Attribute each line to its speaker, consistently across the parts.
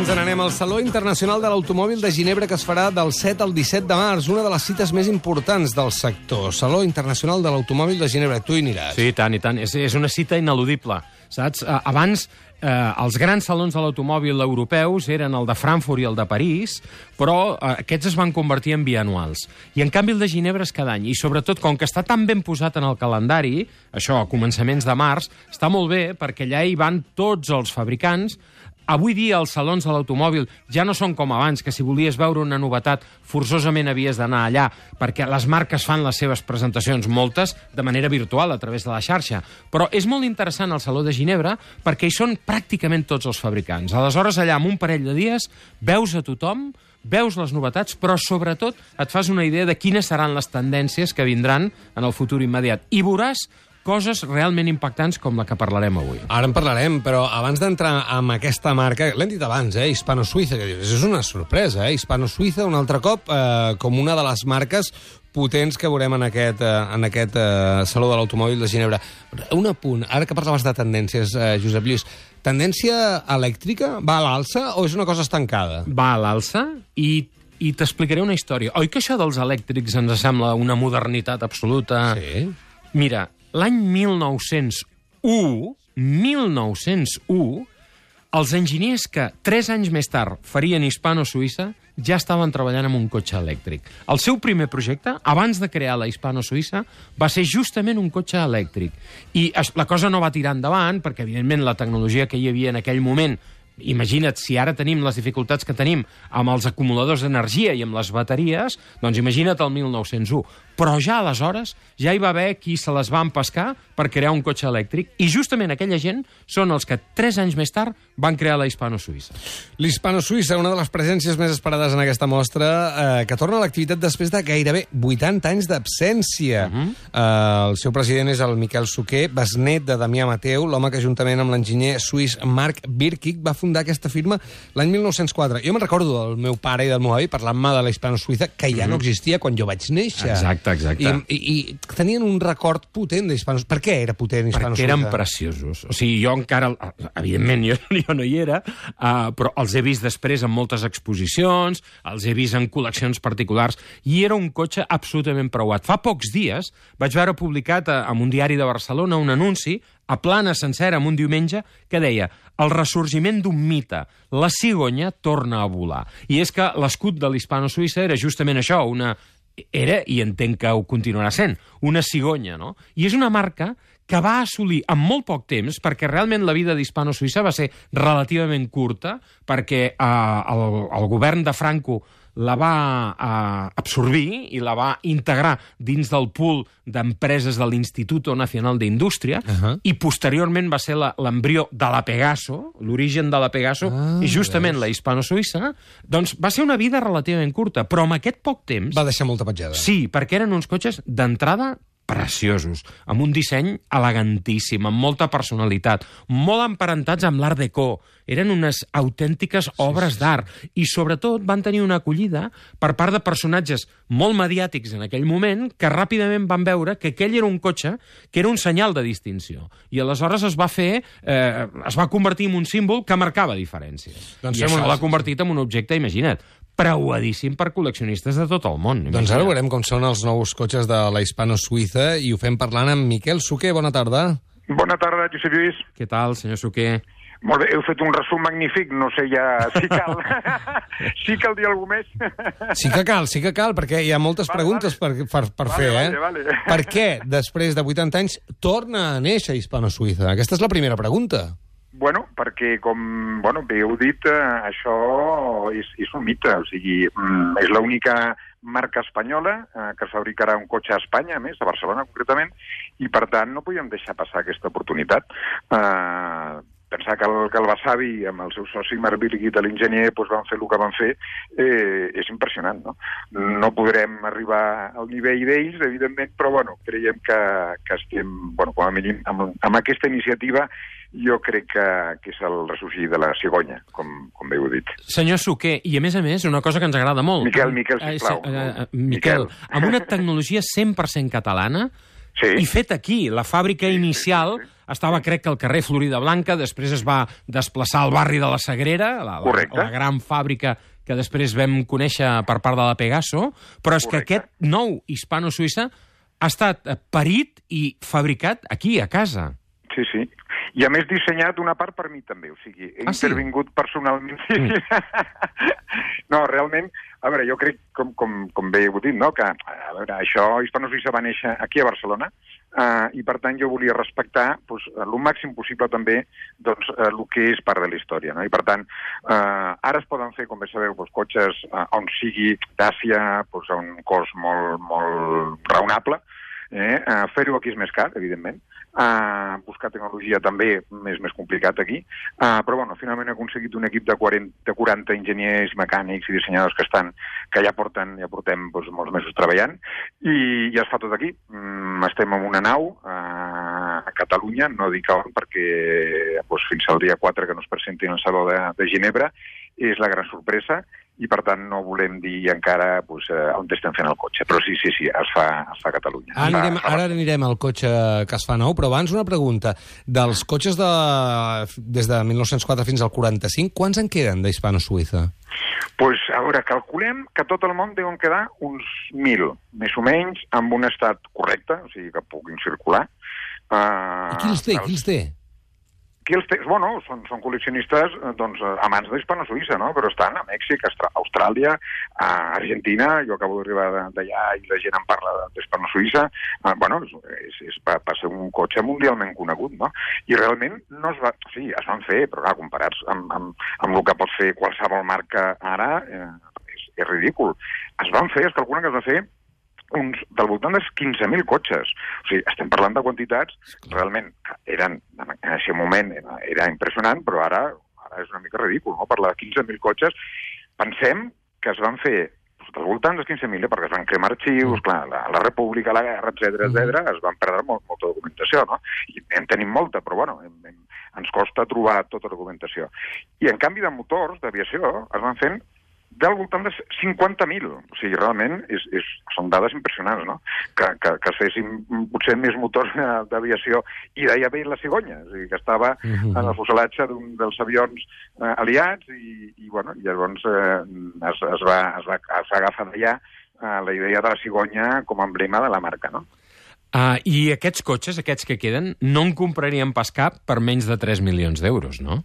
Speaker 1: ens n'anem al Saló Internacional de l'Automòbil de Ginebra, que es farà del 7 al 17 de març, una de les cites més importants del sector. Saló Internacional de l'Automòbil de Ginebra. Tu hi aniràs.
Speaker 2: Sí, i tant, i tant. És una cita ineludible, saps? Abans, els grans salons de l'automòbil europeus eren el de Frankfurt i el de París, però aquests es van convertir en bianuals. I, en canvi, el de Ginebra és cada any. I, sobretot, com que està tan ben posat en el calendari, això, a començaments de març, està molt bé, perquè allà hi van tots els fabricants. Avui dia els salons de l'automòbil ja no són com abans, que si volies veure una novetat forçosament havies d'anar allà, perquè les marques fan les seves presentacions, moltes, de manera virtual, a través de la xarxa. Però és molt interessant el Saló de Ginebra perquè hi són pràcticament tots els fabricants. Aleshores, allà, en un parell de dies, veus a tothom, veus les novetats, però sobretot et fas una idea de quines seran les tendències que vindran en el futur immediat. I veuràs coses realment impactants com la que parlarem avui.
Speaker 1: Ara en parlarem, però abans d'entrar amb aquesta marca, l'hem dit abans, Hispano-Suïssa, que dius, és una sorpresa, Hispano-Suïssa, un altre cop, com una de les marques potents que veurem en aquest Saló de l'Automòbil de Ginebra. Un apunt, ara que parlaves de tendències, Josep Lluís, tendència elèctrica va a l'alça o és una cosa estancada?
Speaker 2: Va a l'alça i t'explicaré una història. Oi que això dels elèctrics ens sembla una modernitat absoluta?
Speaker 1: Sí.
Speaker 2: Mira, l'any 1901, els enginyers que 3 anys més tard farien Hispano-Suïssa ja estaven treballant en un cotxe elèctric. El seu primer projecte, abans de crear la Hispano-Suïssa, va ser justament un cotxe elèctric. I la cosa no va tirar endavant, perquè, evidentment, la tecnologia que hi havia en aquell moment, imagina't, si ara tenim les dificultats que tenim amb els acumuladors d'energia i amb les bateries, doncs imagina't el 1901. Però ja aleshores ja hi va haver qui se les va empescar per crear un cotxe elèctric, i justament aquella gent són els que 3 anys més tard van crear la Hispano-Suïssa.
Speaker 1: L'Hispano-Suïssa, una de les presències més esperades en aquesta mostra, que torna a l'activitat després de gairebé 80 anys d'absència. El seu president és el Miquel Suquer, besnet de Damià Mateu, l'home que juntament amb l'enginyer suís Marc Birkig va fundar aquesta firma l'any 1904. Jo me'n recordo del meu pare i del meu avi parlant-me de la Hispano-Suïssa, que ja no existia quan jo vaig néixer.
Speaker 2: Exacte.
Speaker 1: I tenien un record potent d'Hispano-Suïssa. Per què era potent Hispano-Suïssa?
Speaker 2: Perquè eren preciosos. O sigui, jo encara, evidentment, jo no hi era, però els he vist després en moltes exposicions, els he vist en col·leccions particulars, i era un cotxe absolutament preuat. Fa pocs dies vaig veure publicat en un diari de Barcelona un anunci a plana sencera, en un diumenge, que deia: el ressorgiment d'un mite, la cigonya torna a volar. I és que l'escut de l'Hispano-Suïssa era justament això, era, i entenc que ho continuarà sent, una cigonya, no? I és una marca que va assolir en molt poc temps, perquè realment la vida d'Hispano-Suïssa va ser relativament curta, perquè el govern de Franco la va absorbir i la va integrar dins del pool d'empreses de l'Instituto Nacional d'Indústria, i posteriorment va ser l'embrió de la Pegaso, l'origen de la Pegaso, i justament la Hispano-Suïssa, doncs va ser una vida relativament curta, però amb aquest poc temps...
Speaker 1: Va deixar molta petjada.
Speaker 2: Sí, perquè eren uns cotxes d'entrada preciosos, amb un disseny elegantíssim, amb molta personalitat, molt emparentats amb l'Art Deco. Eren unes autèntiques obres d'art, i sobretot van tenir una acollida per part de personatges molt mediàtics en aquell moment, que ràpidament van veure que aquell era un cotxe que era un senyal de distinció. I aleshores es va convertir en un símbol que marcava diferències. I això l'ha convertit en un objecte, imagina't, preuadíssim per col·leccionistes de tot el món.
Speaker 1: Doncs ara veurem com són els nous cotxes de la Hispano-Suïssa, i ho fem parlant amb Miquel Suquer. Bona tarda.
Speaker 3: Bona tarda, Josep Lluís.
Speaker 2: Què tal, senyor Suquer?
Speaker 3: Molt bé, heu fet un resum magnífic, no sé ja si cal. Sí cal dir alguna més?
Speaker 1: Sí que cal, perquè hi ha moltes preguntes per fer,
Speaker 3: Vale.
Speaker 1: Per què, després de 80 anys, torna a néixer Hispano-Suïssa? Aquesta és la primera pregunta.
Speaker 3: Bueno, perquè, com bé heu dit, això és un mite. O sigui, és l'única marca espanyola que fabricarà un cotxe a Espanya, a més, a Barcelona concretament, i per tant no podíem deixar passar aquesta oportunitat. Pensar que el Wasabi, amb el seu soci Marc Birkig, l'enginyer, van fer el que van fer, és impressionant, no? No podrem arribar al nivell d'ells, evidentment, però creiem que estem, com a mínim, amb aquesta iniciativa, jo crec que és el ressorgir de la cigonya, com bé heu dit.
Speaker 2: Senyor Suquer, i a més, una cosa que ens agrada molt...
Speaker 3: Miquel, sisplau.
Speaker 2: Miquel, amb una tecnologia 100% catalana,
Speaker 3: Sí.
Speaker 2: I fet aquí. La fàbrica inicial estava, crec que al carrer Florida Blanca, després es va desplaçar al barri de la Sagrera, la gran fàbrica que després vam conèixer per part de la Pegaso, però és que aquest nou hispano-suïssa ha estat parit i fabricat aquí, a casa.
Speaker 3: Sí, sí. I a més dissenyat una part per mi també, o sigui, he intervingut personalment. No, realment, a veure, jo crec, com bé heu dit, no?, que, a veure, això, Hispano-Suïssa va néixer aquí a Barcelona, i per tant jo volia respectar el màxim possible també el que és part de la història, no? I per tant, ara es poden fer, com bé sabeu, cotxes on sigui d'Àsia, a un cost molt raonable. Fer-ho aquí és més car, evidentment. Buscar tecnologia també és més complicat aquí. Però, bueno, finalment he aconseguit un equip de 40 enginyers, mecànics i dissenyadors que ja portem molts mesos treballant, i ja es fa tot aquí. Estem en una nau a Catalunya, no dic on, perquè fins al dia 4 que no es presenti en el Saló de Ginebra és la gran sorpresa, i per tant no volem dir encara on estem fent el cotxe. Però sí, es fa a Catalunya.
Speaker 1: Ara anirem al cotxe que es fa nou, però abans una pregunta. Dels cotxes des de 1904 fins al 45, quants en queden d'Hispano-Suïssa?
Speaker 3: A veure, calculem que tot el món deuen quedar uns 1.000, més o menys, amb un estat correcte, o sigui que puguin circular.
Speaker 1: I qui els té?
Speaker 3: Bueno, són col·leccionistes amants d'Hispano-Suïssa, no? Però estan a Mèxic, a Austràlia, a Argentina. Jo acabo d'arribar d'allà i la gent en parla d'Hispano-Suïssa. Bueno, va ser un cotxe mundialment conegut, no? I realment no es va... Sí, es van fer, però clar, comparats amb el que pot fer qualsevol marca ara, és ridícul. Es calcula que es va fer del voltant dels 15.000 cotxes. O sigui, estem parlant de quantitats realment eren, en aquest moment era impressionant, però ara és una mica ridícul, no? Parlar de 15.000 cotxes. Pensem que es van fer del voltant dels 15.000, perquè es van cremar arxius, clar, la República, la guerra, etcètera, es van perdre molta documentació, no? I en tenim molta, però bueno, ens costa trobar tota la documentació. I en canvi de motors, d'aviació, es van fent del voltant de 50.000. O sigui, realment són dades impressionants, no? Que es fessin potser més motors d'aviació, i deia bé la cigonya, o sigui, que estava en el fuselatge d'un dels avions aliats, i llavors es va agafar d'allà la idea de la cigonya com a emblema de la marca, no?
Speaker 2: I aquests cotxes, aquests que queden, no en compraríem pas cap per menys de 3 milions d'euros, no?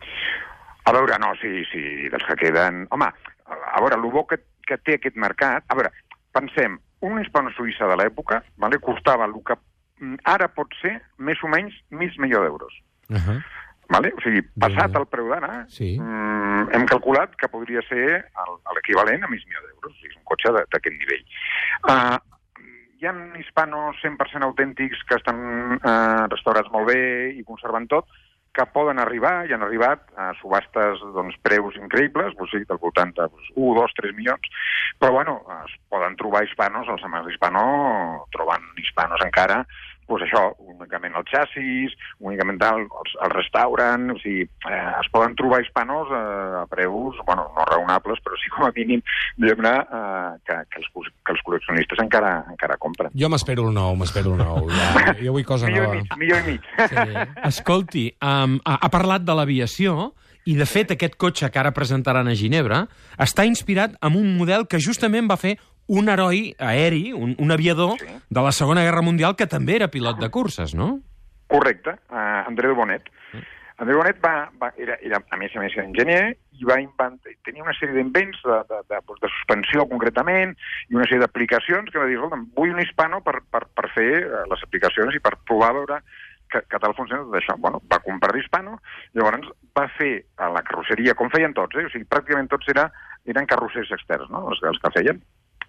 Speaker 3: A veure, no, sí, dels que queden... Home, a veure, el bo que té aquest mercat... A veure, pensem, una hispano-suïssa de l'època costava el que ara pot ser més o menys $500.000 d'euros. Vale? O sigui, passat el preu d'ara, hem calculat que podria ser l'equivalent a $1.000.000. O sigui, és un cotxe d'aquest nivell. Hi ha hispanos 100% autèntics que estan restaurats molt bé i conserven tot, que poden arribar, i han arribat a subhastes preus increïbles, del voltant de 1, 2, 3 milions, però bueno, es poden trobar hispanos, els amants d'hispano troben hispanos encara, això, únicament el xassis, únicament els restauren, o sigui, es poden trobar hispanos a preus, no raonables, però sí com a mínim, diguem-ne, que els col·leccionistes encara compren.
Speaker 1: Jo m'espero el nou. Jo vull cosa nova.
Speaker 3: Millor i mig.
Speaker 2: Escolti, ha parlat de l'aviació, i de fet aquest cotxe que ara presentaran a Ginebra està inspirat en un model que justament va fer un heroi aeri, un aviador de la Segona Guerra Mundial que també era pilot de curses, no?
Speaker 3: Correcte, André de Bonnet. André Bonnet era, a més enginyer, i tenia una sèrie d'invents de suspensió concretament, i una sèrie d'aplicacions que va dir, vull un hispano per fer les aplicacions i per provar a veure que tal funciona tot això. Va comprar l'hispano, llavors va fer la carrosseria, com feien tots, o sigui, pràcticament tots eren carrossers externs, no?, els que feien.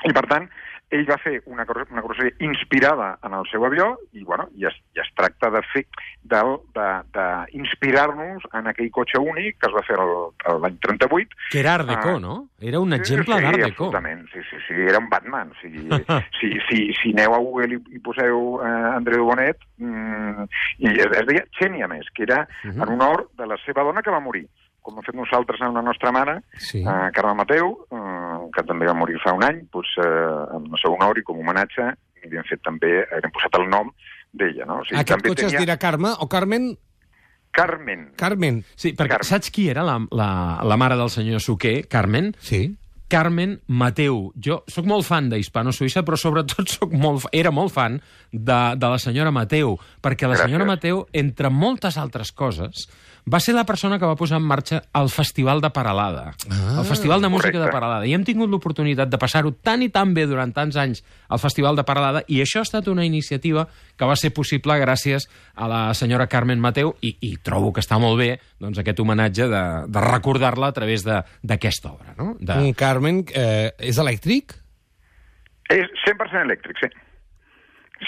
Speaker 3: I, per tant, ell va fer una carrosseria inspirada en el seu avió, i es tracta d'inspirar-nos en aquell cotxe únic que es va fer l'any 38.
Speaker 2: Que era Art Deco, no? Era un exemple d'Art Deco.
Speaker 3: Absolutament, sí, era un Batman. Si aneu a Google i poseu André de Bonnet, i es deia Xènia, més, que era en honor de la seva dona que va morir, com hem fet nosaltres amb la nostra mare, Carme Mateu, que també va morir fa un any, en el seu honor i com a homenatge, hem posat el nom d'ella, no? O sigui,
Speaker 1: Aquest cotxe es dirà Carme o Carmen?
Speaker 3: Carmen.
Speaker 2: Sí, perquè saps qui era la mare del senyor Suqué, Carmen?
Speaker 1: Sí.
Speaker 2: Carmen Mateu. Jo sóc molt fan d'Hispano Suïssa, però sobretot era molt fan de la senyora Mateu, perquè la senyora Mateu, entre moltes altres coses, va ser la persona que va posar en marxa el Festival de Paralada, el Festival de Música de Paralada. I hem tingut l'oportunitat de passar-ho tan i tan bé durant tants anys al Festival de Paralada, i això ha estat una iniciativa que va ser possible gràcies a la senyora Carmen Mateu, i trobo que està molt bé doncs, aquest homenatge de recordar-la a través d'aquesta obra. No?
Speaker 1: Un Carmen és elèctric?
Speaker 3: És 100% elèctric, sí.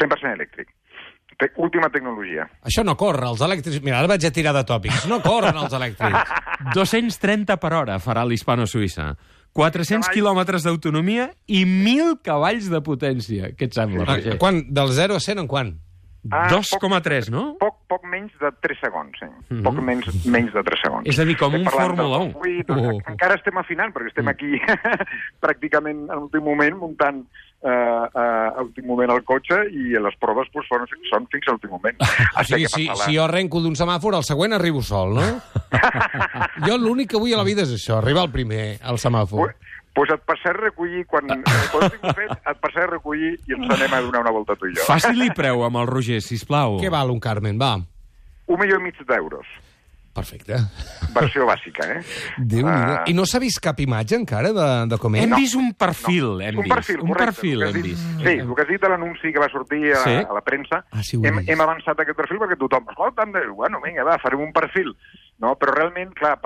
Speaker 3: 100% elèctric. Última tecnologia.
Speaker 1: Això no corre, els elèctrics... Mira, ara vaig a tirar de tòpics. No corren els elèctrics.
Speaker 2: 230 per hora farà l'Hispano Suïssa. 400 quilòmetres d'autonomia i 1.000 cavalls de potència. Què et sembla, Roger?
Speaker 1: Quan? Del 0 a 100 en quan?
Speaker 2: 2,3, no?
Speaker 3: Poc menys de 3 segons, sí. Poc menys de 3 segons.
Speaker 2: És a dir, com un Fórmula 1.
Speaker 3: Encara estem afinant, perquè estem aquí pràcticament en l'últim moment muntant a l'últim moment el cotxe, i les proves doncs, són fins a l'últim moment.
Speaker 1: O sigui, si jo arrenco d'un semàfor, el següent arribo sol, no? Jo l'únic que vull a la vida és això, arribar al primer, al semàfor.
Speaker 3: Doncs et passaré a recollir, quan ho tinc fet, et passaré a recollir i ens anem a donar una volta tu i jo.
Speaker 2: Faci-li preu amb el Roger, sisplau.
Speaker 1: Què val un Carmen, va?
Speaker 3: 1,5 milió d'euros.
Speaker 1: Perfecte.
Speaker 3: Versió bàsica,
Speaker 1: Déu-n'hi-do. I no s'ha vist cap imatge encara de com és?
Speaker 2: Hem vist un perfil, hem vist.
Speaker 3: Un perfil, hem vist. Sí, el que has dit de l'anunci que va sortir a la premsa, hem avançat aquest perfil perquè tothom, escolta, bueno, vinga, va, farem un perfil. No? Però realment, clar,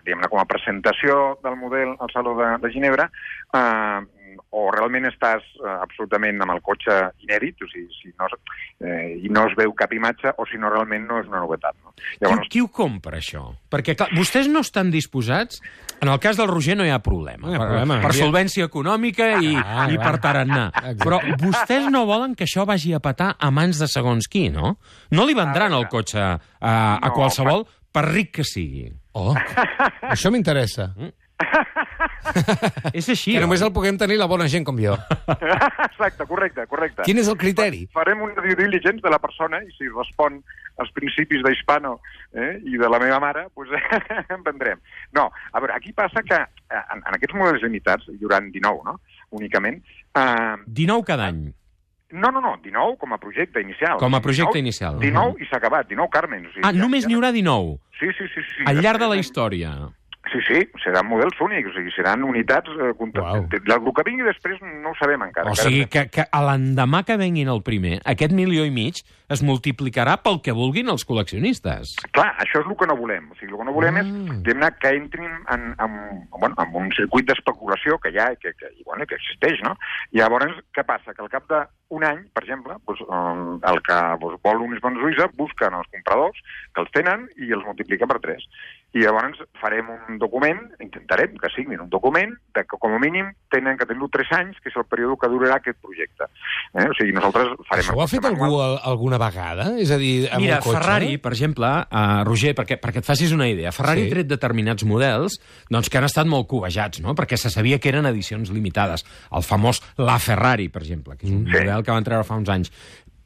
Speaker 3: diguem-ne, com a presentació del model al Saló de Ginebra, o realment estàs absolutament amb el cotxe inèdit, o sigui, i no es veu cap imatge, o si no, realment no és una novetat. No?
Speaker 2: Llavors... Qui ho compra, això? Perquè, clar, vostès no estan disposats... En el cas del Roger no hi ha problema. Per solvència econòmica i per tarannà. Però vostès no volen que això vagi a petar a mans de segons qui, no? No li vendran el cotxe a qualsevol, per ric que sigui.
Speaker 1: Oh, això m'interessa.
Speaker 2: És així.
Speaker 1: Que només el puguem tenir la bona gent com jo.
Speaker 3: Exacte, correcte.
Speaker 1: Quin és el criteri?
Speaker 3: Farem un due diligence de la persona i si respon als principis d'Hispano i de la meva mare, doncs en vendrem. No, a veure, aquí passa que en aquests models limitats, hi haurà 19, no?, únicament...
Speaker 2: 19 cada any?
Speaker 3: No, 19 com a projecte inicial.
Speaker 2: Com a projecte inicial.
Speaker 3: 19 i s'ha acabat, 19 Carmen.
Speaker 2: Només n'hi haurà 19?
Speaker 3: Sí.
Speaker 2: Al llarg de la història?
Speaker 3: Sí, seran models únics, o sigui, seran unitats... El que vingui després no ho sabem encara.
Speaker 2: O sigui, que a l'endemà que venguin el primer, aquest 1,5 milió es multiplicarà pel que vulguin els col·leccionistes.
Speaker 3: Clar, això és el que no volem. O sigui, el que no volem és que entrin en un circuit d'especulació que hi ha i que existeix, no? I llavors, què passa? Que al cap d'un any, per exemple, el que vol un Hispano Suïssa busquen els compradors que els tenen i els multiplica per 3. I llavors farem un document, intentarem que signin un document, que com a mínim tenen que tenir 3 anys, que és el període que durarà aquest projecte. O sigui, nosaltres farem...
Speaker 1: Això ho ha fet algú alguna vegada? És a dir, amb un cotxe?
Speaker 2: Mira, Ferrari, per exemple, Roger, perquè et facis una idea, Ferrari ha tret determinats models doncs, que han estat molt covejats, no?, perquè se sabia que eren edicions limitades. El famós La Ferrari, per exemple, que és un model que van treure fa uns anys.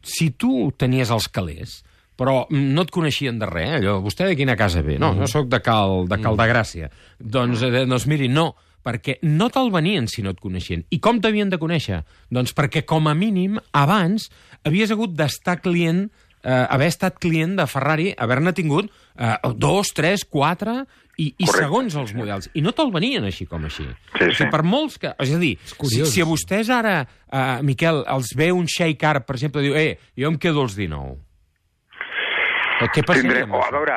Speaker 2: Si tu tenies els calés, però no et coneixien de res, allò, vostè de quina casa ve? No, soc de Cal de Gràcia. Doncs miri, no, perquè no te'l venien si no et coneixien. I com t'havien de conèixer? Doncs perquè, com a mínim, abans havies hagut d'estar client, haver estat client de Ferrari, haver-ne tingut 2, 3, 4... I segons els models. I no te'l venien així com així.
Speaker 3: Sí.
Speaker 2: O sigui, per molts que... És a dir, si a vostès ara, Miquel, els ve un Sheikh Car, per exemple, diu, jo em quedo els 19. Què passaria amb això?
Speaker 3: A veure...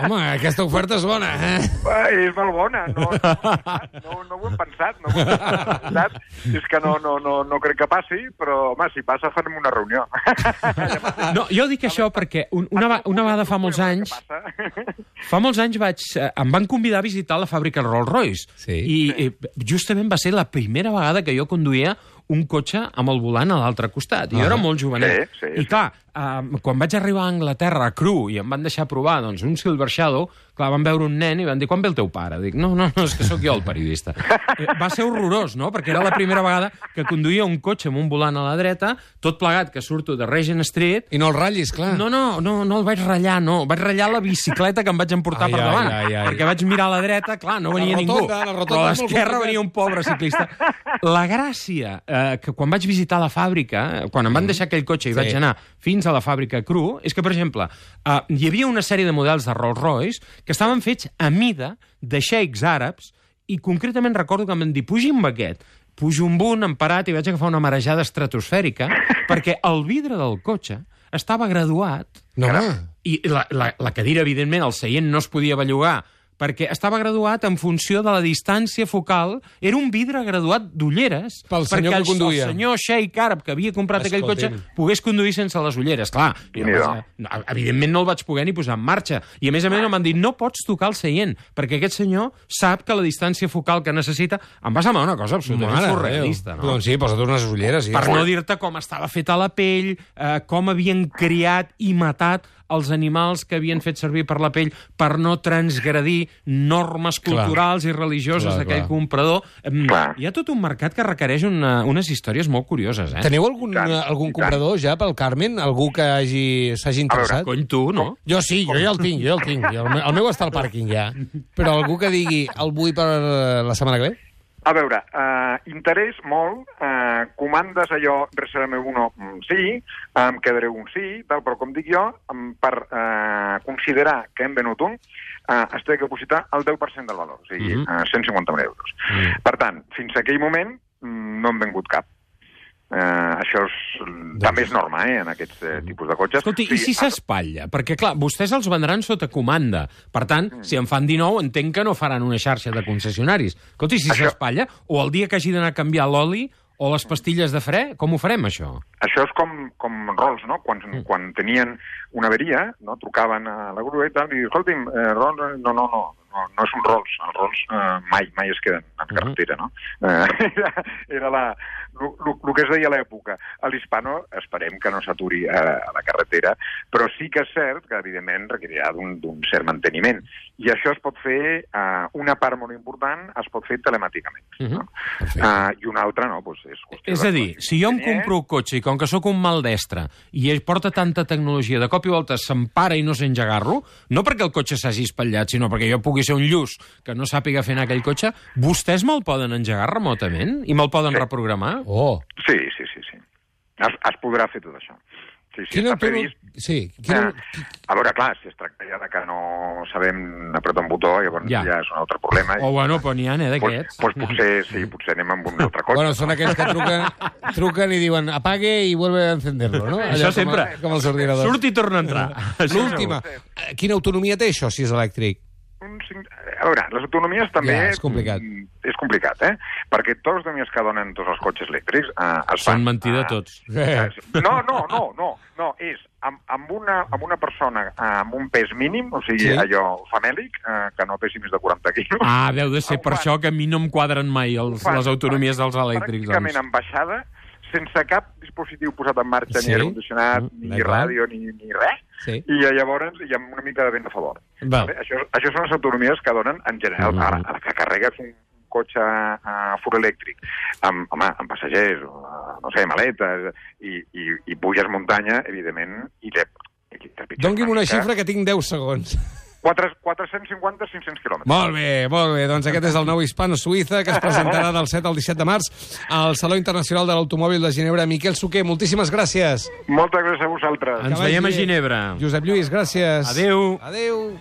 Speaker 1: Home, aquesta oferta és bona,
Speaker 3: És molt bona. No ho hem pensat. És que no crec que passi, però, home, si passa farem una reunió.
Speaker 2: No, jo dic això perquè una vegada fa molts anys... Fa molts anys em van convidar a visitar la fàbrica Rolls-Royce. I justament va ser la primera vegada que jo conduïa un cotxe amb el volant a l'altre costat. I jo era molt jovenet. I clar, quan vaig arribar a Anglaterra, a cru, i em van deixar provar un Silver Shadow, Clar, van veure un nen i van dir, quan ve el teu pare? Dic, no, és que sóc jo el periodista. Va ser horrorós, no? Perquè era la primera vegada que conduïa un cotxe amb un volant a la dreta, tot plegat que surto de Regent Street.
Speaker 1: I no el ratllis, clar.
Speaker 2: No el vaig ratllar, no. Vaig ratllar la bicicleta que em vaig emportar per davant. Perquè vaig mirar a la dreta, clar, no venia ningú. Però a l'esquerra venia un pobre ciclista. La gràcia, que quan vaig visitar la fàbrica, quan em van deixar aquell cotxe i vaig anar fins a la fàbrica Cru, és que, per exemple, hi havia una sèrie de models de Rolls-Royce que estaven fets a mida de xeics àrabs i concretament recordo que em van dir, pugi amb aquest. Pujo amb un, emparat, i vaig agafar una marejada estratosfèrica perquè el vidre del cotxe estava graduat.
Speaker 1: No,
Speaker 2: I la cadira, evidentment, el seient no es podia bellugar perquè estava graduat en funció de la distància focal. Era un vidre graduat d'ulleres
Speaker 1: pel senyor que conduïa.
Speaker 2: El senyor xeic àrab que havia comprat aquell cotxe pogués conduir sense les ulleres. Clar, evidentment no el vaig poder ni posar en marxa. I a més em van dir, no pots tocar el seient, perquè aquest senyor sap que la distància focal que necessita... Em va semblar una cosa absolutament surrealista, no?
Speaker 1: Doncs sí, posa't unes ulleres.
Speaker 2: Per no dir-te com estava feta la pell, com havien criat i matat els animals que havien fet servir per la pell per no transgredir normes culturals i religioses d'aquell comprador. Hi ha tot un mercat que requereix unes històries molt curioses, eh?
Speaker 1: Teniu algun comprador ja pel Carmen? Algú que s'hagi interessat?
Speaker 2: Cony, tu, no?
Speaker 1: Jo sí, jo ja el tinc. El meu està al pàrquing ja. Però algú que digui, el vull per la setmana que ve?
Speaker 3: A veure, interès molt, comandes allò, reserva-me uno, sí, em quedaré un sí, tal, però com dic jo, per considerar que hem venut un, es té que depositar el 10% del valor, o sigui, 150.000 euros. Per tant, fins a aquell moment no hem vengut cap. Això també és norma, en aquests tipus de cotxes.
Speaker 2: Escolti, i si s'espatlla? Perquè, clar, vostès els vendran sota comanda. Per tant, si en fan 19, entenc que no faran una xarxa de concessionaris. Escolti, si s'espatlla, o el dia que hagi d'anar a canviar l'oli o les pastilles de fre, com ho farem, això?
Speaker 3: Això és com Rolls, no? Quan tenien una averia, no? Trucaven a la grua i tal, i escolti'm, Rolls, no és un Rolls. Els Rolls mai es queden en carretera, no? Era el que es deia a l'època. A l'Hispano esperem que no s'aturi a la carretera, però sí que és cert que, evidentment, requerirà d'un cert manteniment. I això es pot fer, una part molt important, es pot fer telemàticament. No? I una altra, no, doncs és qüestió...
Speaker 2: És a dir, si jo em compro un cotxe i com que sóc un maldestre i ell porta tanta tecnologia, de cop i volta s'empara i no sé engegar-lo, no perquè el cotxe s'hagi espatllat, sinó perquè jo pugui ser un lluç que no sàpiga fer anar aquell cotxe, vostès me'l poden engegar remotament i me'l poden reprogramar?
Speaker 1: Oh.
Speaker 3: Sí. Es podrà fer tot això. Sí, està previst. A veure, clar, si es tracta ja de que no sabem apretar un botó, llavors ja és un altre problema.
Speaker 2: Bueno, però n'hi ha, d'aquests.
Speaker 3: Potser anem amb un altre cotxe.
Speaker 1: Bueno, són aquells que truquen i diuen apague i vuelve a encenderlo, no?
Speaker 2: Això sempre.
Speaker 1: Com els ordinadors.
Speaker 2: Surt i torna a entrar.
Speaker 1: L'última. Quina autonomia té això, si és elèctric?
Speaker 3: A veure, les autonomies també...
Speaker 1: és complicat.
Speaker 3: És complicat, perquè tots els autonomies que donen tots els cotxes elèctrics es fan...
Speaker 2: Són mentida tots.
Speaker 3: No, és amb una persona amb un pes mínim, o sigui, allò famèlic, que no pesi més de 40 quilos.
Speaker 2: Deu de ser per això que a mi no em quadren mai les autonomies dels elèctrics.
Speaker 3: Pràcticament en baixada, sense cap dispositiu posat en marxa, ni aire condicionat, ni ràdio, ni res, i llavors hi ha una mica de vent a favor. Això són les autonomies que donen en general. Ara, que carregues un cotxe fur elèctric amb passatgers, no sé, maletes, i puges muntanya, evidentment,
Speaker 1: Doni'm una xifra que tinc 10 segons.
Speaker 3: 450-500 quilòmetres.
Speaker 1: Molt bé. Doncs aquest és el nou Hispano Suïssa, que es presentarà del 7 al 17 de març al Saló Internacional de l'Automòbil de Ginebra. Miquel Suqué, moltíssimes gràcies.
Speaker 3: Moltes gràcies a vosaltres.
Speaker 2: Ens veiem a Ginebra.
Speaker 1: Josep Lluís, gràcies.
Speaker 2: Adéu.
Speaker 1: Adéu.